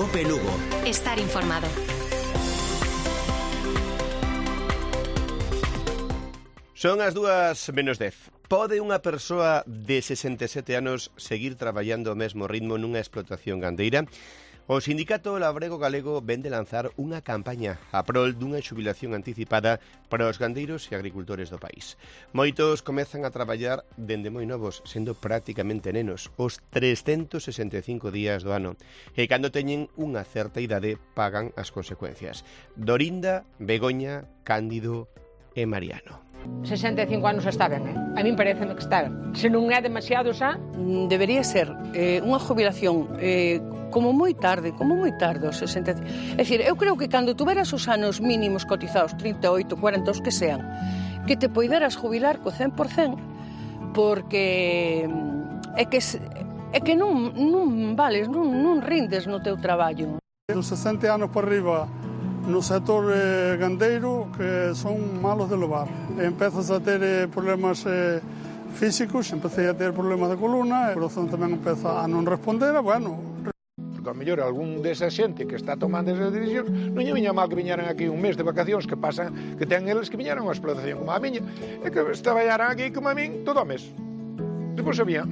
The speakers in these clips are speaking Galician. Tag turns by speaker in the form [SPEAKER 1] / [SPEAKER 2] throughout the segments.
[SPEAKER 1] Cope Lugo.
[SPEAKER 2] Estar informado.
[SPEAKER 3] Son as 2:10. Pode unha persoa de 67 anos seguir traballando ao mesmo ritmo nunha explotación gandeira? O Sindicato Labrego Galego vén de lanzar unha campaña a prol dunha xubilación anticipada para os gandeiros e agricultores do país. Moitos comezan a traballar dende moi novos, sendo prácticamente nenos, os 365 días do ano, e cando teñen unha certa idade pagan as consecuencias. Dorinda, Begoña, Cándido e Mariano.
[SPEAKER 4] 65 anos está ben, A min pareceme que está ben. Se non é demasiado xa...
[SPEAKER 5] Debería ser unha jubilación como moi tarde, aos 65. É dicir, eu creo que cando tuveras os anos mínimos cotizados, 38, 40, os que sean, que te poideras jubilar co 100%, porque é que non vales, non rindes no teu traballo.
[SPEAKER 6] Dos 60 anos por riba, no sector gandeiro, que son malos de levar. Empezas a ter problemas físicos, empecé a ter problemas de columna, o corazón tamén empeza a non responder, bueno...
[SPEAKER 7] Porque ao mellor algún desa xente que está tomando esas decisións non lle viña mal que viñaran aquí un mes de vacacións que pasan, que ten eles que viñaran a unha explotación como a miña, e que traballaran aquí como a min todo o mes. Depois había...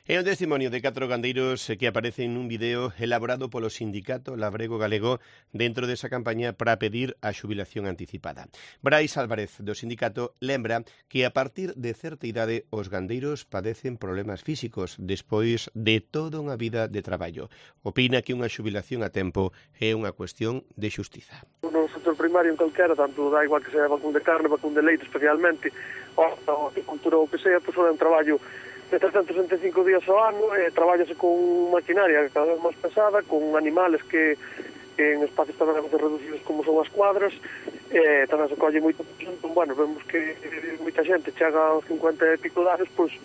[SPEAKER 3] É un testimonio de 4 gandeiros que aparecen nun video elaborado polo Sindicato Labrego Galego dentro desa campaña para pedir a xubilación anticipada. Brais Álvarez, do sindicato, lembra que a partir de certa idade os gandeiros padecen problemas físicos despois de toda unha vida de traballo. Opina que unha xubilación a tempo é unha cuestión de xustiza.
[SPEAKER 8] No sector primario en calquera, tanto da igual que sea vacún de carne, vacún de leite especialmente, ou agricultura ou que sea, pois é un traballo de 365 días ao ano, traballase con maquinaria cada vez máis pesada, con animales que en espacios tamén reducidos como son as cuadras, tamén se colle moito, bueno, vemos que moita xente chega aos 50 e pico de anos, pois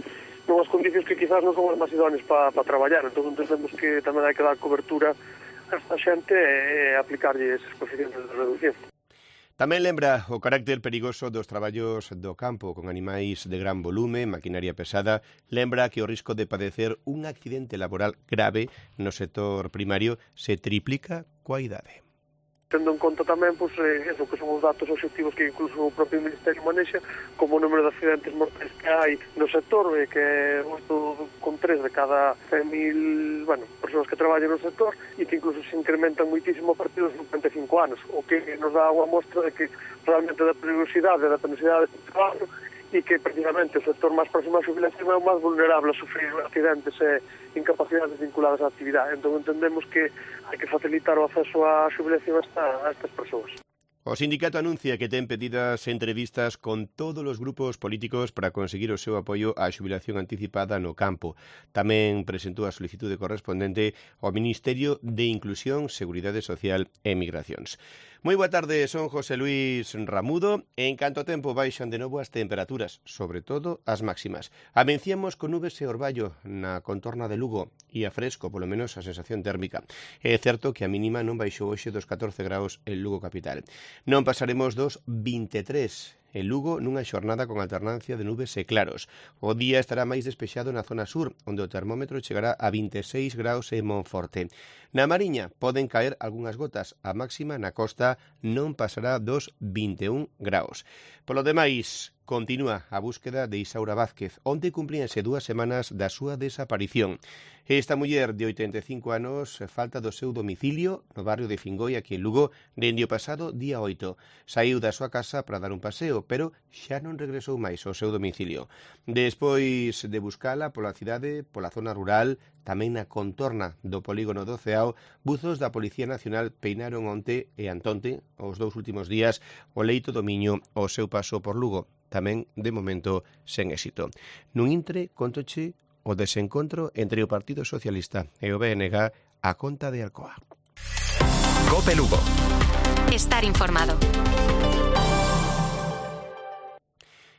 [SPEAKER 8] nunhas condicións que quizás non son as máis idóneas para traballar, entón entendemos que tamén hai que dar cobertura a esta xente e aplicarlle esos coeficientes de reducción.
[SPEAKER 3] Tamén lembra o carácter perigoso dos traballos do campo con animais de gran volume, maquinaria pesada. Lembra que o risco de padecer un accidente laboral grave no sector primario se triplica coa idade.
[SPEAKER 8] Tendo en conta tamén pois, eso que son os datos obxectivos que incluso o propio Ministerio manexa, como o número de accidentes mortais que hai no sector, que é 8,3 de cada 100.000 persoas que traballan no sector, e que incluso se incrementan moitísimo a partir dos 55 anos, o que nos dá unha mostra de que realmente da peligrosidade e da penosidade do traballo, e que precisamente o sector máis próximo á xubilación é o máis vulnerable a sufrir accidentes e incapacidades vinculadas á actividade. Entón entendemos que hai que facilitar o acceso á xubilación a estas persoas.
[SPEAKER 3] O sindicato anuncia que ten pedidas entrevistas con todos os grupos políticos para conseguir o seu apoio á xubilación anticipada no campo. Tamén presentou a solicitude correspondente ao Ministerio de Inclusión, Seguridade Social e Migracións. Moi boa tarde, son José Luis Ramudo. En canto a tempo baixan de novo as temperaturas, sobre todo as máximas. Amenciamos con nubes e orballo na contorna de Lugo e a fresco, polo menos a sensación térmica. É certo que a mínima non baixou hoxe dos 14 graus en Lugo capital. Non pasaremos dos 23 en Lugo nunha xornada con alternancia de nubes e claros. O día estará máis despexado na zona sur, onde o termómetro chegará a 26 graus en Monforte. Na Mariña poden caer algunhas gotas. A máxima na costa non pasará dos 21 graus. Polo demais, continúa a búsqueda de Isaura Vázquez, onde cumpríanse 2 semanas da súa desaparición. Esta muller de 85 anos falta do seu domicilio no barrio de Fingoi, aquí en Lugo, dende o pasado día 8. Saiu da súa casa para dar un paseo, pero xa non regresou máis ao seu domicilio. Despois de buscala pola cidade, pola zona rural, tamén na contorna do polígono do Ceao, buzos da Policía Nacional peinaron onte e antonte, os 2 últimos días, o leito do Miño ao seu paso por Lugo. Tamén, de momento, sen éxito. Nun intre, contoche o desencontro entre o Partido Socialista e o BNG a conta de Alcoa.
[SPEAKER 1] Cope Lugo.
[SPEAKER 2] Estar informado.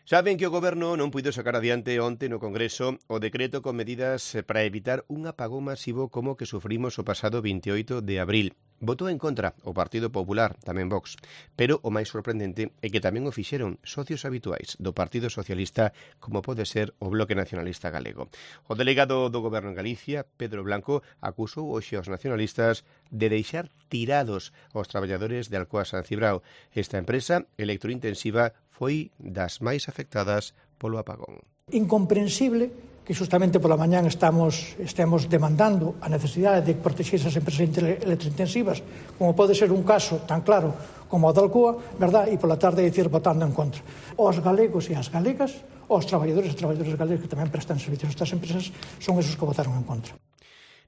[SPEAKER 3] Saben que o Goberno non puido sacar adiante onte no Congreso o decreto con medidas para evitar un apagón masivo como que sufrimos o pasado 28 de abril. Votou en contra o Partido Popular, tamén Vox, pero o máis sorprendente é que tamén o fixeron socios habituais do Partido Socialista, como pode ser o Bloque Nacionalista Galego. O delegado do Goberno en Galicia, Pedro Blanco, acusou hoxe aos nacionalistas de deixar tirados aos traballadores de Alcoa San Cibrao. Esta empresa electrointensiva foi das máis afectadas polo apagón.
[SPEAKER 2] Incomprensible que justamente pola mañán estemos demandando a necesidade de protexer esas empresas electrointensivas, como pode ser un caso tan claro como o da Alcoa, verdad? E pola tarde dicir votando en contra. Os galegos e as galegas, os traballadores e traballadoras galegos que tamén prestan servicios a estas empresas, son esos que votaron en contra.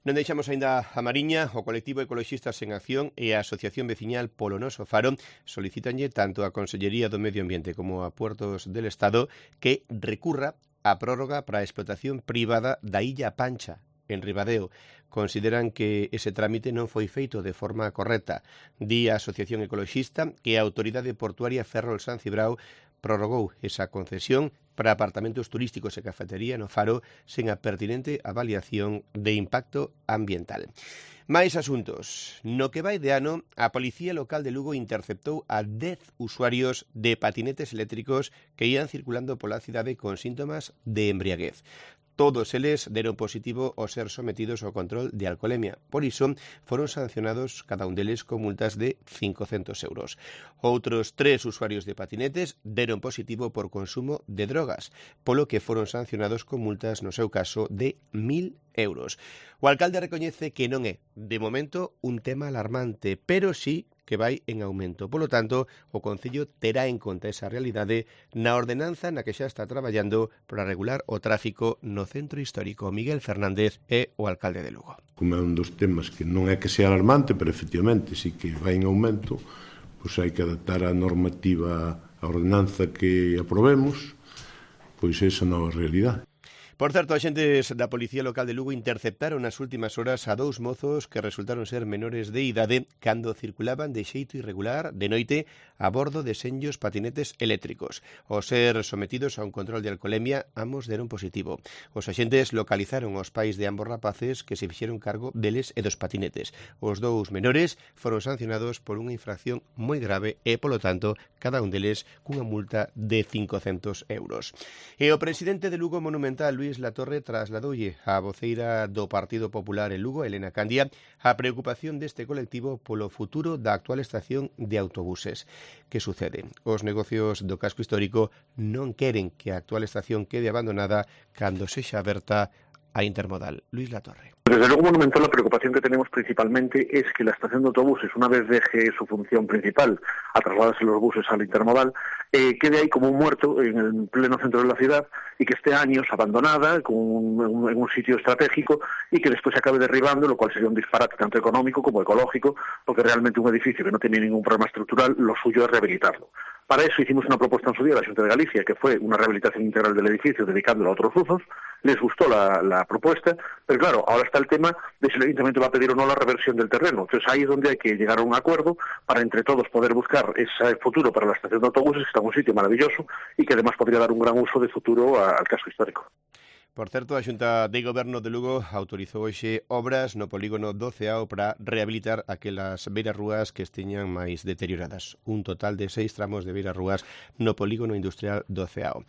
[SPEAKER 3] Non deixamos aínda a Mariña. O colectivo Ecoloxistas en Acción e a Asociación Veciñal Polo Noso Faro solicitanlle tanto a Consellería do Medio Ambiente como a Puertos del Estado que recurra a prórroga para a explotación privada da Illa Pancha, en Ribadeo. Consideran que ese trámite non foi feito de forma correcta. Di a Asociación Ecoloxista que a Autoridade Portuaria Ferrol San Cibrao prorrogou esa concesión para apartamentos turísticos e cafetería no Faro sen a pertinente avaliación de impacto ambiental. Máis asuntos. No que vai de ano, a Policía Local de Lugo interceptou a 10 usuarios de patinetes eléctricos que ían circulando pola cidade con síntomas de embriaguez. Todos eles deron positivo ao ser sometidos ao control de alcolemia. Por iso, foron sancionados cada un deles con multas de 500 euros. Outros 3 usuarios de patinetes deron positivo por consumo de drogas, polo que foron sancionados con multas, no seu caso, de 1.000 euros. O alcalde recoñece que non é, de momento, un tema alarmante, pero sí que vai en aumento. Polo tanto, o Concello terá en conta esa realidade na ordenanza na que xa está traballando para regular o tráfico no centro histórico. Miguel Fernández é o alcalde de Lugo.
[SPEAKER 9] Como é un dos temas que non é que sea alarmante, pero efectivamente sí que vai en aumento, pois hai que adaptar a normativa, a ordenanza que aprobemos, pois esa nova realidade.
[SPEAKER 3] Por certo, axentes da Policía Local de Lugo interceptaron nas últimas horas a 2 mozos que resultaron ser menores de idade cando circulaban de xeito irregular de noite a bordo de senllos patinetes eléctricos. Ao ser sometidos a un control de alcolemia, ambos deron positivo. Os axentes localizaron os pais de ambos rapaces que se fixeron cargo deles e dos patinetes. Os 2 menores foron sancionados por unha infracción moi grave e, polo tanto, cada un deles cunha multa de 500 euros. E o presidente de Lugo Monumental, Luís Latorre, trasladoulle á voceira do Partido Popular en Lugo, Elena Candia, a preocupación deste colectivo polo futuro da actual estación de autobuses. Que sucede? Os negocios do casco histórico non queren que a actual estación quede abandonada cando sexa aberta a intermodal. Luis Latorre.
[SPEAKER 10] Desde luego, Monumental, la preocupación que tenemos principalmente es que la estación de autobuses, una vez deje su función principal a trasladarse los buses al intermodal, quede ahí como un muerto en el pleno centro de la ciudad y que esté años abandonada en un sitio estratégico y que después se acabe derribando, lo cual sería un disparate tanto económico como ecológico, porque realmente un edificio que no tiene ningún problema estructural, lo suyo es rehabilitarlo. Para eso hicimos una propuesta en su día a la Xunta de Galicia, que fue una rehabilitación integral del edificio dedicándolo a otros usos. Les gustó la propuesta, pero claro, ahora está el tema de si el Ayuntamiento va a pedir o no la reversión del terreno. Entonces ahí es donde hay que llegar a un acuerdo para entre todos poder buscar ese futuro para la estación de autobuses, que está en un sitio maravilloso y que además podría dar un gran uso de futuro al casco histórico.
[SPEAKER 3] Por certo, a Xunta de Goberno de Lugo autorizou hoxe obras no polígono do Ceao para rehabilitar aquelas beirarrúas que esteñan máis deterioradas. Un total de 6 tramos de beirarrúas no polígono industrial do Ceao.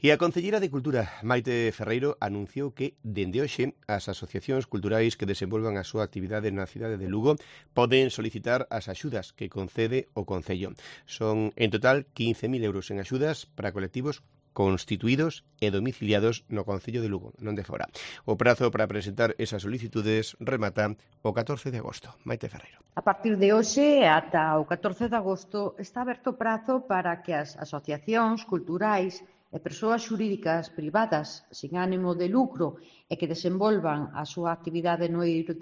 [SPEAKER 3] E a Concelleira de Cultura, Maite Ferreiro, anunciou que, dende hoxe, as asociacións culturais que desenvolvan a súa actividade na cidade de Lugo poden solicitar as axudas que concede o Concello. Son, en total, 15.000 euros en axudas para colectivos constituídos e domiciliados no Concello de Lugo, non de fora. O prazo para presentar esas solicitudes remata o 14 de agosto. Maite Ferreiro.
[SPEAKER 11] A partir de hoxe ata o 14 de agosto está aberto o prazo para que as asociacións culturais e persoas xurídicas privadas sin ánimo de lucro e que desenvolvan a súa actividade no eido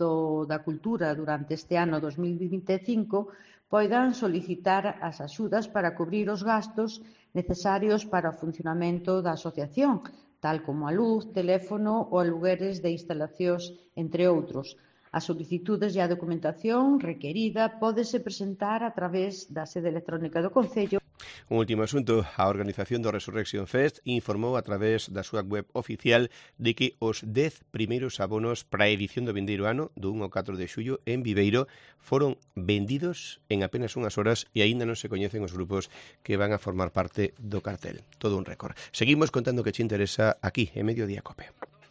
[SPEAKER 11] da cultura durante este ano 2025 poidan solicitar as axudas para cubrir os gastos necesarios para o funcionamento da asociación, tal como a luz, teléfono ou alugueres de instalacións, entre outros. As solicitudes e a documentación requerida pódese presentar a través da sede electrónica do Concello
[SPEAKER 3] Un último asunto, a organización do Resurrection Fest informou a través da súa web oficial de que os 10 primeiros abonos para a edición do vindeiro ano, do 1 ao 4 de xullo, en Viveiro, foron vendidos en apenas unhas horas e aínda non se coñecen os grupos que van a formar parte do cartel. Todo un récord. Seguimos contando que che interesa aquí, en Mediodía Cope.